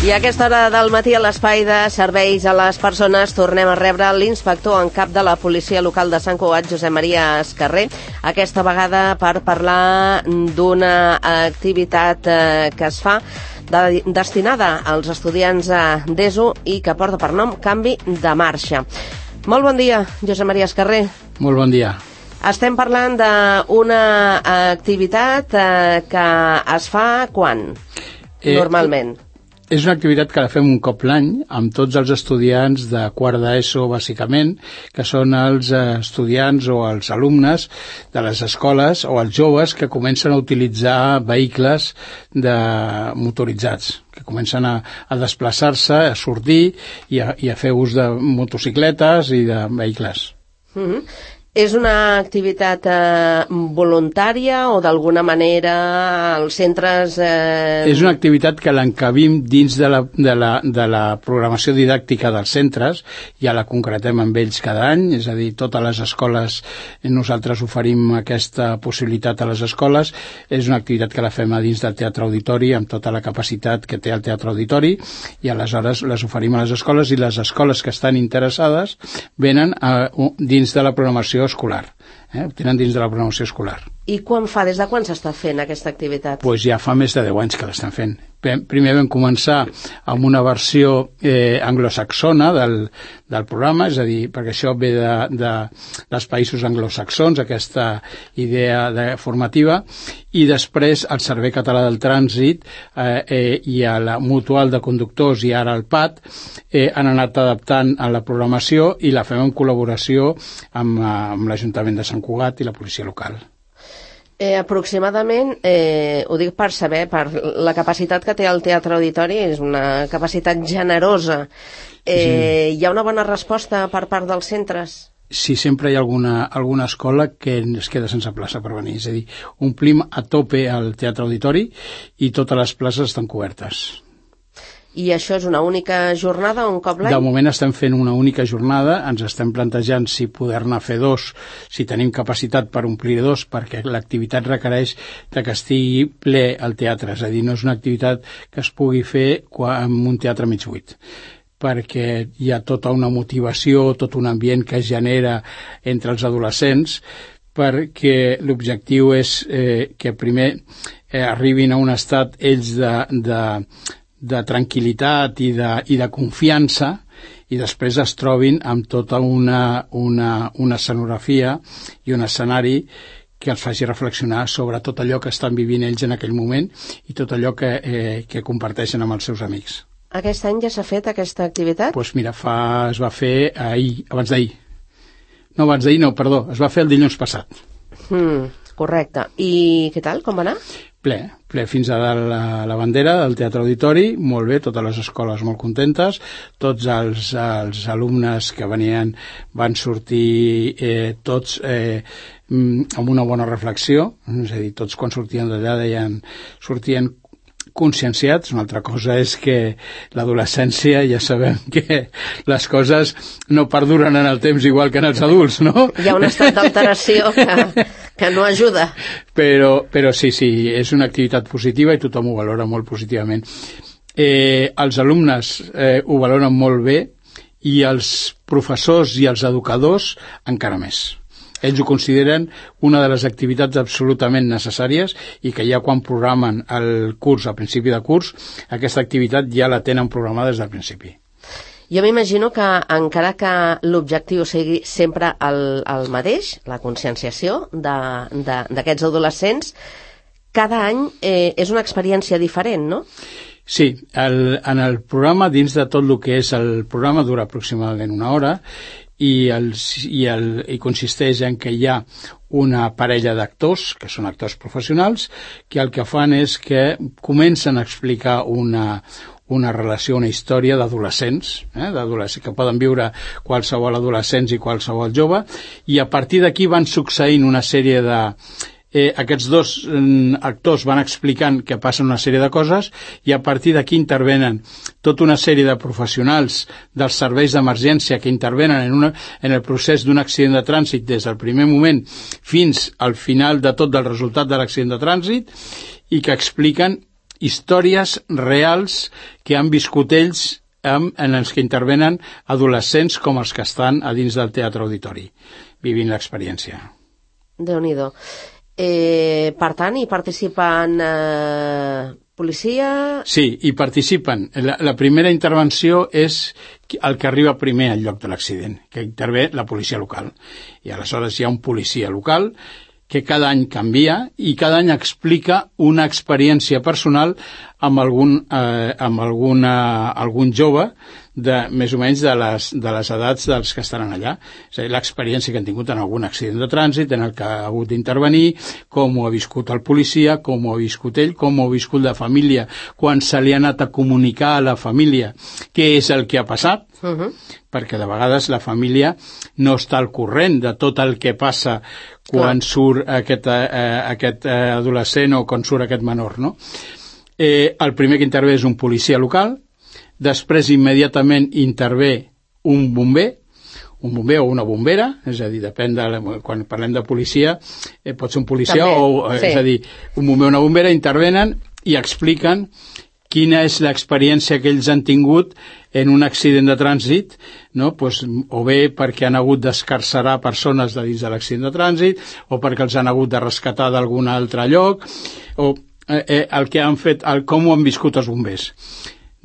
I a aquesta hora del matí, a l'espai de serveis a les persones, tornem a rebre l'inspector en cap de la policia local de Sant Cugat, Josep Maria Escarrer, aquesta vegada per parlar d'una activitat que es fa destinada als estudiants d'ESO i que porta per nom Canvi de Marxa. Molt bon dia, Josep Maria Escarrer. Molt bon dia. Estem parlant d'una activitat que es fa quan, normalment? És una activitat que la fem un cop l'any amb tots els estudiants de quart d'ESO, bàsicament, que són els estudiants o els alumnes de les escoles o els joves que comencen a utilitzar vehicles motoritzats, que comencen a desplaçar-se, a sortir i a fer ús de motocicletes i de vehicles. És una activitat voluntària o d'alguna manera els centres... És una activitat que l'encabim dins de la programació didàctica dels centres, ja la concretem amb ells cada any, és a dir, totes les escoles, nosaltres oferim aquesta possibilitat a les escoles. És una activitat que la fem a dins del Teatre Auditori amb tota la capacitat que té el Teatre Auditori i aleshores les oferim a les escoles i les escoles que estan interessades venen dins de la programació escolar, ho tenen dins de la programació escolar. I des de quan s'està fent aquesta activitat? Doncs ja fa més de 10 anys que l'estan fent. Primer vam començar amb una versió anglosaxona del programa, és a dir, perquè això ve dels països anglosaxons, aquesta idea formativa, i després el Servei Català del Trànsit i a la Mutual de Conductors i ara el PAT han anat adaptant a la programació i la fem en col·laboració amb l'Ajuntament de Sant Cugat i la policia local. Aproximadament, ho dic per saber, per la capacitat que té el Teatre Auditori, és una capacitat generosa. Hi ha una bona resposta per part dels centres? Sí, sempre hi ha alguna escola que es queda sense plaça per venir, és a dir, omplim a tope el Teatre Auditori i totes les places estan cobertes. I això és una única jornada o un cop l'any? De moment estem fent una única jornada, ens estem plantejant si poder-ne fer dos, si tenim capacitat per omplir dos, perquè l'activitat requereix que estigui ple al teatre, és a dir, no és una activitat que es pugui fer amb un teatre mig buit, perquè hi ha tota una motivació, tot un ambient que es genera entre els adolescents, perquè l'objectiu és que primer arribin a un estat ells de tranquil·litat i de confiança i després es trobin amb tota una escenografia i un escenari que els faci reflexionar sobre tot allò que estan vivint ells en aquell moment i tot allò que comparteixen amb els seus amics. Aquest any ja s'ha fet aquesta activitat? Doncs mira, es va fer abans d'ahir. No, abans d'ahir no, perdó, es va fer el dilluns passat. Correcte. I què tal, com va anar? Ple fins a dalt la bandera del Teatre Auditori, molt bé, totes les escoles molt contentes, tots els alumnes que venien van sortir tots amb una bona reflexió, és a dir, tots quan sortien d'allà sortien conscienciats. Una altra cosa és que l'adolescència ja sabem que les coses no perduren en el temps igual que en els adults, no? Hi ha un estat d'alteració que no ajuda. Però sí, és una activitat positiva i tothom ho valora molt positivament. Els alumnes ho valoren molt bé i els professors i els educadors encara més. Ells ho consideren una de les activitats absolutament necessàries i que ja quan programen el curs, al principi de curs, aquesta activitat ja la tenen programada des del principi. Jo m'imagino que encara que l'objectiu sigui sempre el mateix, la conscienciació d'aquests adolescents, cada any és una experiència diferent, no? Sí, en el programa, dins de tot el que és el programa, dura aproximadament una hora i consisteix en que hi ha una parella d'actors, que són actors professionals, que el que fan és que comencen a explicar una relació, una història d'adolescents, que poden viure qualsevol adolescents i qualsevol jove, i a partir d'aquí van succeint una sèrie de... aquests dos actors van explicant que passen una sèrie de coses i a partir d'aquí intervenen tota una sèrie de professionals dels serveis d'emergència que intervenen en el procés d'un accident de trànsit des del primer moment fins al final de tot del resultat de l'accident de trànsit i que expliquen històries reals que han viscut ells en els que intervenen adolescents com els que estan a dins del teatre auditori, vivint l'experiència. Déu-n'hi-do. Per tant, hi participen policia... Sí, hi participen. La primera intervenció és el que arriba primer al lloc de l'accident, que intervé la policia local. I aleshores hi ha un policia local que cada any canvia i cada any explica una experiència personal amb algun jove de més o menys de les edats dels que estaran allà. És a dir, l'experiència que han tingut en algun accident de trànsit en el que ha hagut d'intervenir, com ho ha viscut el policia, com ho ha viscut ell, com ho ha viscut la família, quan se li ha anat a comunicar a la família què és el que ha passat, perquè de vegades la família no està al corrent de tot el que passa quan surt aquest adolescent o quan surt aquest menor, no? El primer que intervé és un policia local, després immediatament intervé un bomber o una bombera, és a dir, depèn de... Quan parlem de policia, pot ser un policia sí. És a dir, un bomber o una bombera intervenen i expliquen quina és l'experiència que ells han tingut en un accident de trànsit, no? Pues, o bé perquè han hagut d'escarcerar persones de dins de l'accident de trànsit, o perquè els han hagut de rescatar d'algun altre lloc, o el que han fet, com ho han viscut els bombers.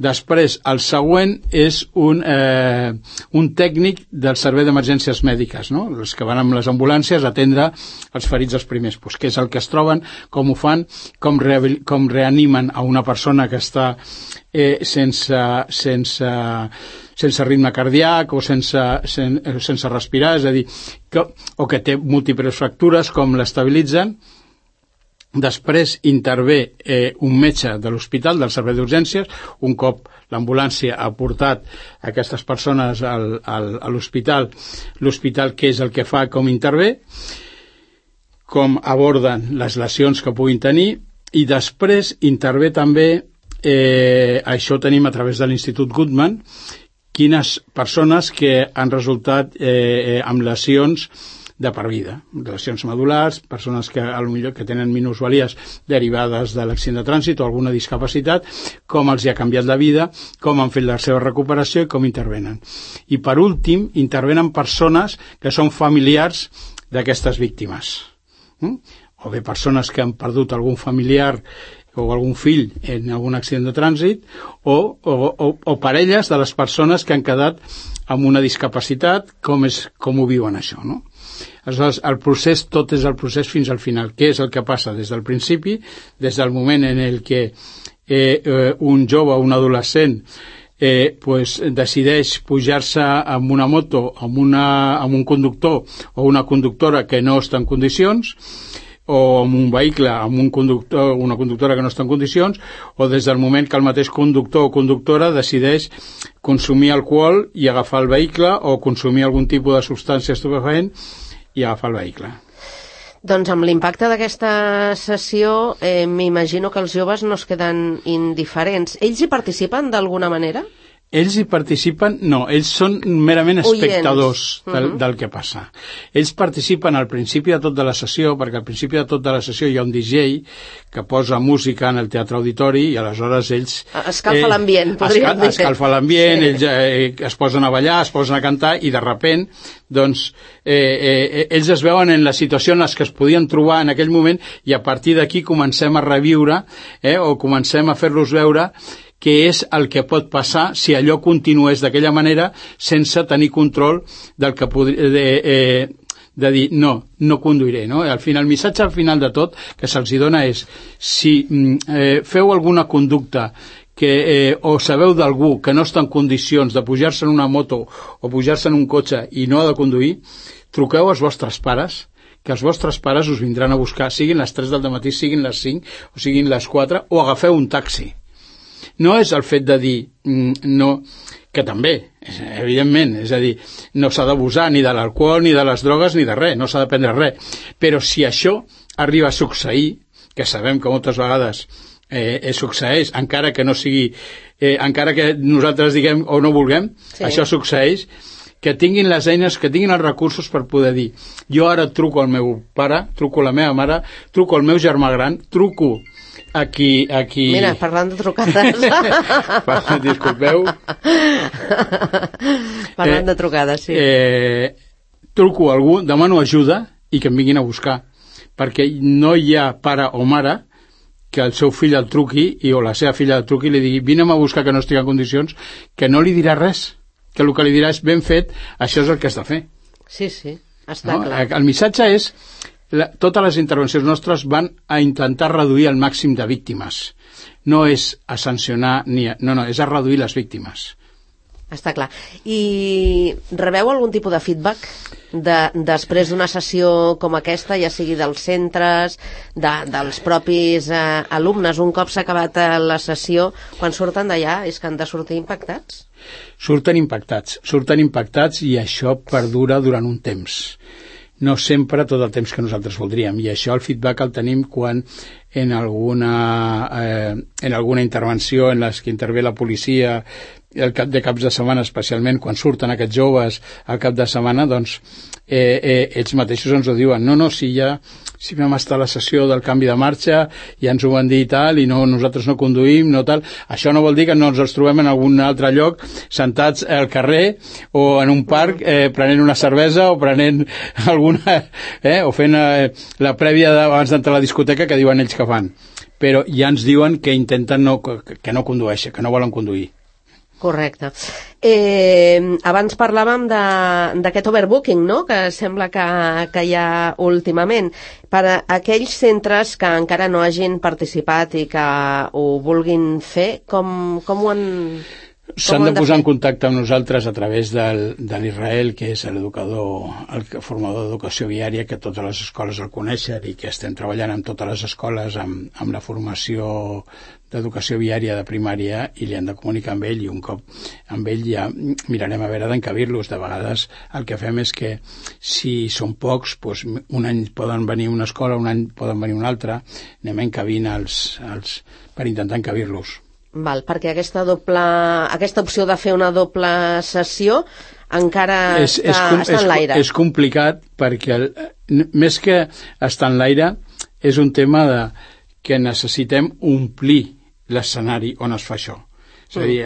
Després, el següent és un tècnic del servei d'emergències mèdiques, no? Els que van amb les ambulàncies a atendre els ferits els primers, pues, què és el que es troben, com ho fan, com reanimen a una persona que està sense ritme cardíac o sense respirar, és a dir, o que té múltiples fractures, com l'estabilitzen. Després intervé un metge de l'hospital, del servei d'urgències, un cop l'ambulància ha portat aquestes persones a l'hospital, l'hospital què és el que fa, com intervé, com aborden les lesions que puguin tenir, i després intervé també, això ho tenim a través de l'Institut Guttmann, quines persones que han resultat amb lesions de per vida, lesions medulars, persones que potser que tenen minusvalies derivades de l'accident de trànsit o alguna discapacitat, com els hi ha canviat la vida, com han fet la seva recuperació i com intervenen. I per últim, intervenen persones que són familiars d'aquestes víctimes. O bé persones que han perdut algun familiar o algun fill en algun accident de trànsit, o parelles de les persones que han quedat amb una discapacitat, com ho viuen això, no? Aleshores, el procés, tot és el procés fins al final. Què és el que passa des del principi, des del moment en el que un jove o un adolescent decideix pujar-se amb una moto, amb un conductor o una conductora que no està en condicions, o amb un vehicle, amb un conductor o una conductora que no està en condicions, o des del moment que el mateix conductor o conductora decideix consumir alcohol i agafar el vehicle, o consumir algun tipus de substància estupefaent i agafar el vehicle. Doncs amb l'impacte d'aquesta sessió m'imagino que els joves no es queden indiferents. Ells hi participen d'alguna manera? Ells hi participen, no, ells són merament espectadors del que passa. Ells participen al principi de tot de la sessió, perquè al principi de tot de la sessió hi ha un DJ que posa música en el teatre auditori i aleshores ells... Escalfa l'ambient, podríem dir. Escalfa l'ambient, sí. Ells es posen a ballar, es posen a cantar i de repent, doncs, ells es veuen en la situació en què es podien trobar en aquell moment i a partir d'aquí comencem a reviure o comencem a fer-los veure què és el que pot passar si allò continués d'aquella manera sense tenir control del que de dir no conduiré, no? El missatge al final de tot que se'ls dona és si feu alguna conducta o sabeu d'algú que no està en condicions de pujar-se en una moto o pujar-se en un cotxe i no ha de conduir, truqueu als vostres pares, que els vostres pares us vindran a buscar, siguin les 3 del matí, siguin les 5 o siguin les 4, o agafeu un taxi. No és el fet de dir no, que també, evidentment, és a dir, no s'ha d'abusar ni de l'alcohol, ni de les drogues, ni de res, no s'ha de prendre res. Però si això arriba a succeir, que sabem que moltes vegades succeeix, encara que no sigui, encara que nosaltres diguem o no vulguem, sí. Això succeeix, que tinguin les eines, que tinguin els recursos per poder dir, jo ara truco al meu pare, truco a la meva mare, truco al meu germà gran, truco Aquí... Mira, parlant de trucades. Disculpeu. Parlant de trucades, sí. Truco a algú, demano ajuda i que em vinguin a buscar, perquè no hi ha pare o mare que el seu fill el truqui o la seva filla el truqui i li digui vine'm a buscar que no estic en condicions, que no li dirà res, que el que li dirà és ben fet, això és el que has de fer. Sí, està clar. El missatge és totes les intervencions nostres van a intentar reduir el màxim de víctimes. No és a sancionar, no, és a reduir les víctimes. Està clar. I rebeu algun tipus de feedback després d'una sessió com aquesta, ja sigui dels centres, dels propis alumnes, un cop s'ha acabat la sessió, quan surten d'allà és que han de sortir impactats? Surten impactats i això perdura durant un temps. No sempre tot el temps que nosaltres voldríem, i això el feedback el tenim quan en alguna intervenció en les que intervé la policia de caps de setmana, especialment quan surten aquests joves al cap de setmana, doncs ells mateixos ens ho diuen, si vam estar a la sessió del canvi de marxa, ja ens ho van dir i tal, i nosaltres no conduïm, no tal. Això no vol dir que no ens els trobem en algun altre lloc, sentats al carrer o en un parc prenent una cervesa o prenent alguna... o fent la prèvia abans d'entrar a la discoteca que diuen ells que fan. Però ja ens diuen que intenten que no condueixen, que no volen conduir. Correcte. Abans parlàvem d'aquest overbooking, no?, que sembla que hi ha últimament. Per a aquells centres que encara no hagin participat i que ho vulguin fer, com ho han... S'han de posar en contacte amb nosaltres a través de l'Israel, que és el formador d'educació viària, que totes les escoles el coneixen i que estem treballant amb totes les escoles amb la formació d'educació viària de primària, i li han de comunicar amb ell, i un cop amb ell ja mirarem a veure d'encabir-los. De vegades el que fem és que si són pocs, doncs un any poden venir una escola, un any poden venir una altra, anem encabint per intentar encabir-los. Val, perquè aquesta opció de fer una doble sessió encara està en l'aire. És complicat perquè més que estar en l'aire és un tema que necessitem omplir l'escenari on es fa això. És a dir,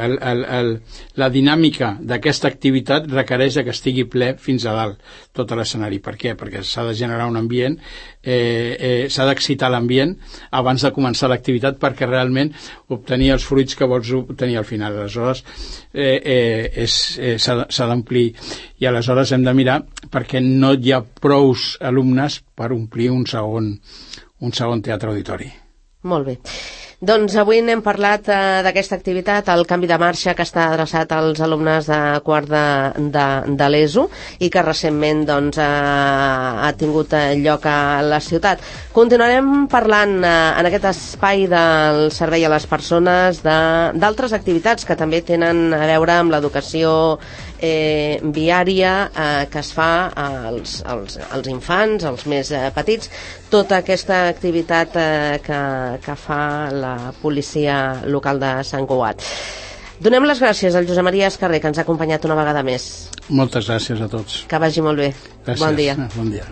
la dinàmica d'aquesta activitat requereix que estigui ple fins a dalt tot l'escenari. Per què? Perquè s'ha de generar un ambient, s'ha d'excitar l'ambient abans de començar l'activitat perquè realment obtenir els fruits que vols obtenir al final. Aleshores s'ha d'omplir, i aleshores hem de mirar perquè no hi ha prous alumnes per omplir un segon teatre auditori. Molt bé. Doncs avui n'hem parlat d'aquesta activitat, el canvi de marxa, que està adreçat als alumnes de quart de l'ESO i que recentment ha tingut lloc a la ciutat. Continuarem parlant en aquest espai del servei a les persones d'altres activitats que també tenen a veure amb l'educació viària que es fa als infants, als més petits, tota aquesta activitat que fa la policia local de Sant Cugat. Donem les gràcies al Josep Maria Escarré, que ens ha acompanyat una vegada més. Moltes gràcies a tots. Que vagi molt bé. Gràcies. Bon dia. Bon dia.